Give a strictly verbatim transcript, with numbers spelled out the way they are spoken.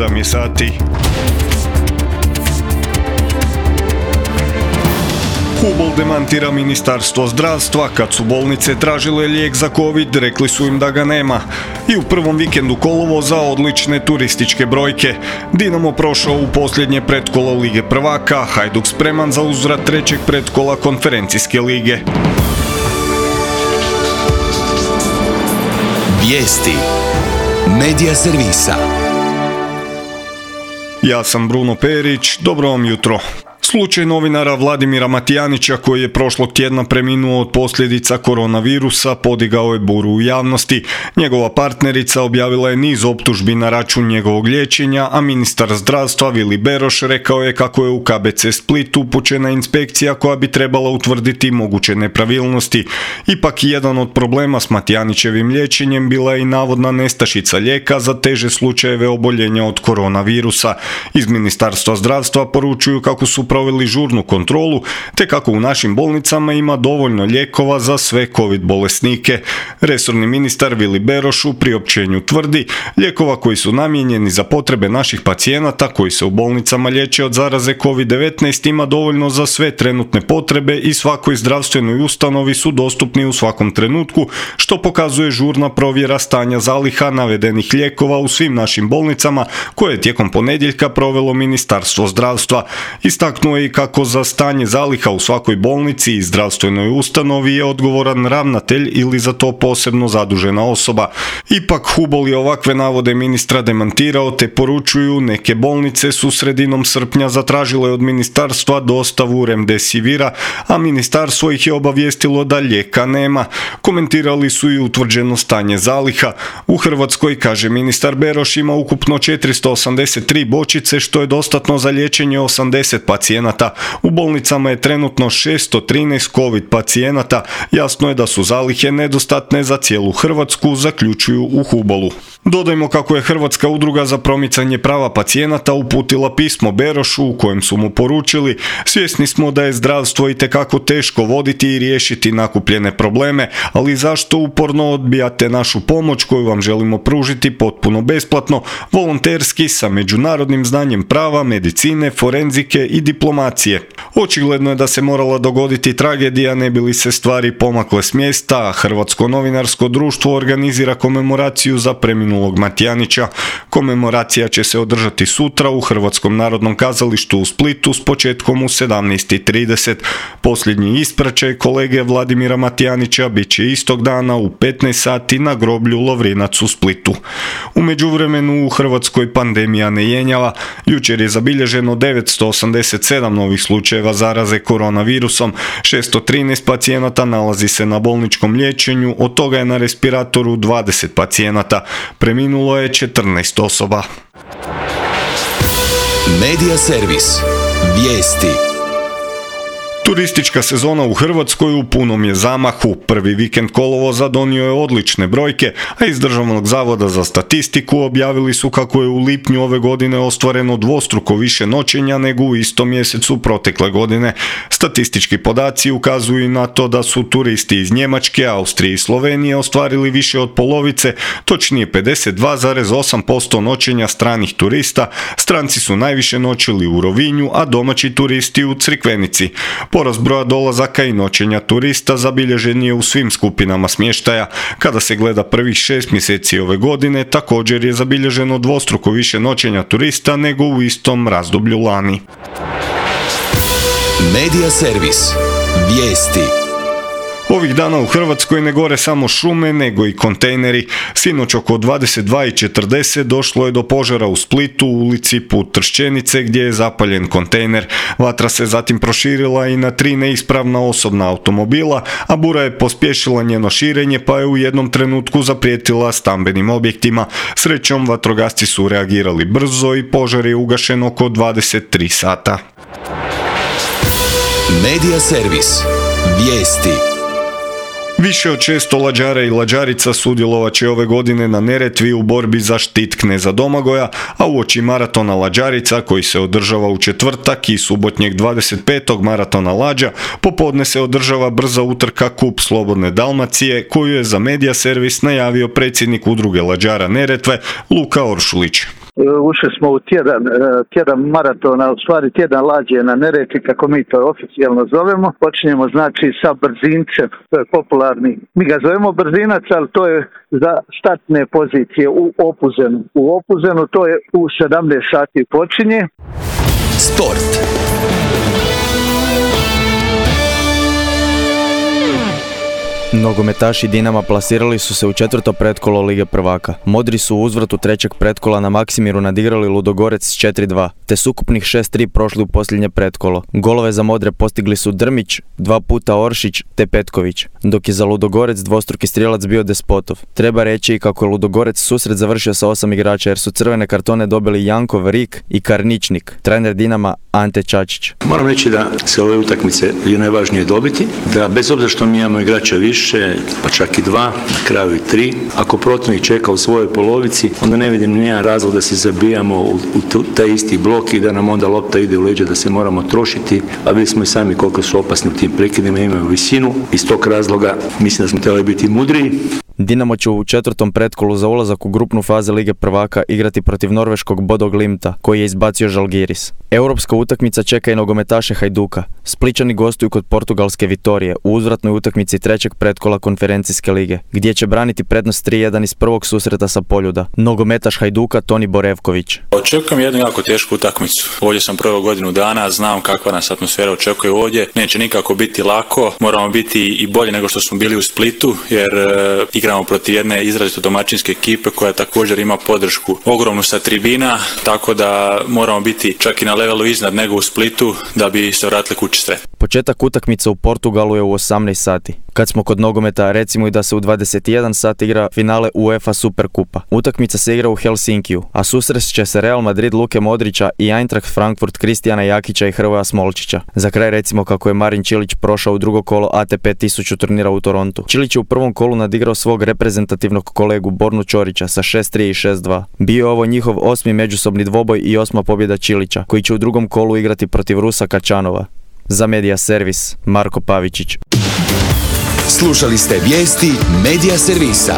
sedam je sati. Hubol demantira Ministarstvo zdravstva. Kad su bolnice tražile lijek za covid, rekli su im da ga nema. I u prvom vikendu kolovoza odlične turističke brojke. Dinamo prošao u posljednje pretkolo Lige prvaka, Hajduk spreman za uzvrat trećeg pretkola konferencijske lige. Vijesti Medija servisa. Ja sam Bruno Perić, dobro vam jutro. Slučaj novinara Vladimira Matijanića, koji je prošlog tjedna preminuo od posljedica koronavirusa, podigao je buru u javnosti. Njegova partnerica objavila je niz optužbi na račun njegovog liječenja, a ministar zdravstva Vili Beroš rekao je kako je u K B C Split upućena inspekcija koja bi trebala utvrditi moguće nepravilnosti. Ipak jedan od problema s Matijanićevim liječenjem bila je i navodna nestašica lijeka za teže slučajeve oboljenja od koronavirusa. Iz Ministarstva zdravstva poručuju kako su proveli žurnu kontrolu, te kako u našim bolnicama ima dovoljno lijekova za sve covid bolesnike. Resorni ministar Vili Beroš u priopćenju tvrdi, lijekova koji su namijenjeni za potrebe naših pacijenata koji se u bolnicama liječe od zaraze covid devetnaest ima dovoljno za sve trenutne potrebe i svakoj zdravstvenoj ustanovi su dostupni u svakom trenutku, što pokazuje žurna provjera stanja zaliha navedenih lijekova u svim našim bolnicama koje je tijekom ponedjeljka provelo Ministarstvo zdravstva. Istaknuo je i kako za stanje zaliha u svakoj bolnici i zdravstvenoj ustanovi je odgovoran ravnatelj ili za to posebno zadužena osoba. Ipak Hubol je ovakve navode ministra demantirao, te poručuju neke bolnice su sredinom srpnja zatražile od ministarstva dostavu remdesivira, a ministarstvo ih je obavijestilo da lijeka nema. Komentirali su i utvrđeno stanje zaliha. U Hrvatskoj, kaže ministar Beroš, ima ukupno četiristo osamdeset tri bočice, što je dostatno za liječenje osamdeset pacijenata. U bolnicama je trenutno šesto trinaest covid pacijenata. Jasno je da su zalihe nedostatne za cijelu Hrvatsku, zaključuju u Hubolu. Dodajmo kako je Hrvatska udruga za promicanje prava pacijenata uputila pismo Berošu u kojem su mu poručili: svjesni smo da je zdravstvo itekako teško voditi i riješiti nakupljene probleme, ali zašto uporno odbijate našu pomoć koju vam želimo pružiti potpuno besplatno, volonterski, sa međunarodnim znanjem prava, medicine, forenzike i diplomacije. Očigledno je da se morala dogoditi tragedija ne bi li se stvari pomakle s mjesta, a Hrvatsko novinarsko društvo organizira komemoraciju za preminulog Matijanića. Komemoracija će se održati sutra u Hrvatskom narodnom kazalištu u Splitu s početkom u sedamnaest i trideset. Posljednji ispraćaj kolege Vladimira Matijanića bit će istog dana u petnaest sati na groblju Lovrinac u Splitu. U međuvremenu u Hrvatskoj pandemija ne jenjava. Jučer je zabilježeno devetsto osamdeset sedam novih slučajeva zaraze koronavirusom, šesto trinaest pacijenata nalazi se na bolničkom liječenju, od toga je na respiratoru dvadeset pacijenata. Preminulo je četrnaest osoba. Medija servis. Vijesti. Turistička sezona u Hrvatskoj u punom je zamahu. Prvi vikend kolovoza donio je odlične brojke, a iz Državnog zavoda za statistiku objavili su kako je u lipnju ove godine ostvareno dvostruko više noćenja nego u istom mjesecu protekle godine. Statistički podaci ukazuju na to da su turisti iz Njemačke, Austrije i Slovenije ostvarili više od polovice, točnije pedeset dva zarez osam posto noćenja stranih turista. Stranci su najviše noćili u Rovinju, a domaći turisti u Crikvenici. Porast broja dolazaka i noćenja turista zabilježen je u svim skupinama smještaja. Kada se gleda prvih šest mjeseci ove godine, također je zabilježeno dvostruko više noćenja turista nego u istom razdoblju lani. Medija servis. Vijesti. Ovih dana u Hrvatskoj ne gore samo šume, nego i kontejneri. Sinoć oko dvadeset dva i četrdeset došlo je do požara u Splitu, u ulici Put Tršćenice, gdje je zapaljen kontejner. Vatra se zatim proširila i na tri neispravna osobna automobila, a bura je pospješila njeno širenje, pa je u jednom trenutku zaprijetila stambenim objektima. Srećom, vatrogasci su reagirali brzo i požar je ugašen oko dvadeset tri sata. Medija servis. Vijesti. Više od šesto lađara i lađarica sudjelovat će ove godine na Neretvi u borbi za štit kneza Domagoja, a uoči maratona lađarica koji se održava u četvrtak i subotnjeg dvadeset petog maratona lađa, popodne se održava brza utrka Kup Slobodne Dalmacije, koju je za Medija servis najavio predsjednik udruge lađara Neretve Luka Oršulić. Ušli smo u tjedan, tjedan maratona, u stvari tjedan lađe na Neretvi, kako mi to oficijalno zovemo. Počinjemo znači sa brzincem, to je popularni. Mi ga zovemo brzinac, ali to je za startne pozicije u Opuzenu. U Opuzenu to je u sedamnaest sati počinje. Sport. Nogometaši Dinama plasirali su se u četvrto pretkolo Lige prvaka. Modri su u uzvratu trećeg pretkola na Maksimiru nadigrali Ludogorec s četiri dva, te s ukupnih šest tri prošli u posljednje pretkolo. Golove za Modre postigli su Drmić, dva puta Oršić te Petković, dok je za Ludogorec dvostruki strijelac bio Despotov. Treba reći i kako je Ludogorec susret završio sa osam igrača jer su crvene kartone dobili Jankov, Rik i Karničnik. Trener Dinama Ante Čačić. Moram reći da se ove utakmice je najvažnije dobiti, da bez obzira što mi imamo igrača više, pa čak i dva, na kraju i tri, ako protivnik čeka u svojoj polovici, onda ne vidim nijedan razlog da se zabijamo u, u taj isti blok i da nam onda lopta ide u leđa, da se moramo trošiti, a vidjeli smo i sami koliko su opasni u tim prekidima, imaju visinu. Iz tog razloga mislim da smo trebali biti mudriji. Dinamo će u četvrtom pretkolu za ulazak u grupnu fazu Lige prvaka igrati protiv norveškog Bodo Glimta, koji je izbacio Žalgiris. Europska utakmica čeka i nogometaše Hajduka. Splićani gostuju kod portugalske Vitorije u uzvratnoj utakmici trećeg pretkola konferencijske lige, gdje će braniti prednost tri jedan iz prvog susreta sa Poljuda. Nogometaš Hajduka Toni Borevković. Očekujem jednu jako tešku utakmicu. Ovdje sam prvo godinu dana, znam kakva nas atmosfera očekuje ovdje. Neće nikako biti lako, moramo biti i bolje nego što smo bili u Splitu, jer e, igramo protiv jedne izrazito domaćinske ekipe koja također ima podršku ogromnu sa tribina, tako da moramo biti čak i na levelu iznad nego u Splitu da bi se vratili kući sretni. Početak utakmice u Portugalu je u osamnaest sati. Kad smo kod nogometa, recimo i da se u dvadeset jedan sat igra finale UEFA Superkupa. Utakmica se igra u Helsinkiju, a susrest će se Real Madrid Luke Modrića i Eintracht Frankfurt Kristijana Jakića i Hrvoja Smolčića. Za kraj recimo kako je Marin Čilić prošao u drugo kolo A T P tisuću turnira u Torontu. Čilić je u prvom kolu nadigrao svog reprezentativnog kolegu Bornu Ćorića sa šest tri i šest dva. Bio je ovo njihov osmi međusobni dvoboj i osma pobjeda Čilića, koji će u drugom kolu igrati protiv Rusa Kačanova. Za Medija Servis, Marko Pavičić. Slušali ste vijesti Medija Servisa.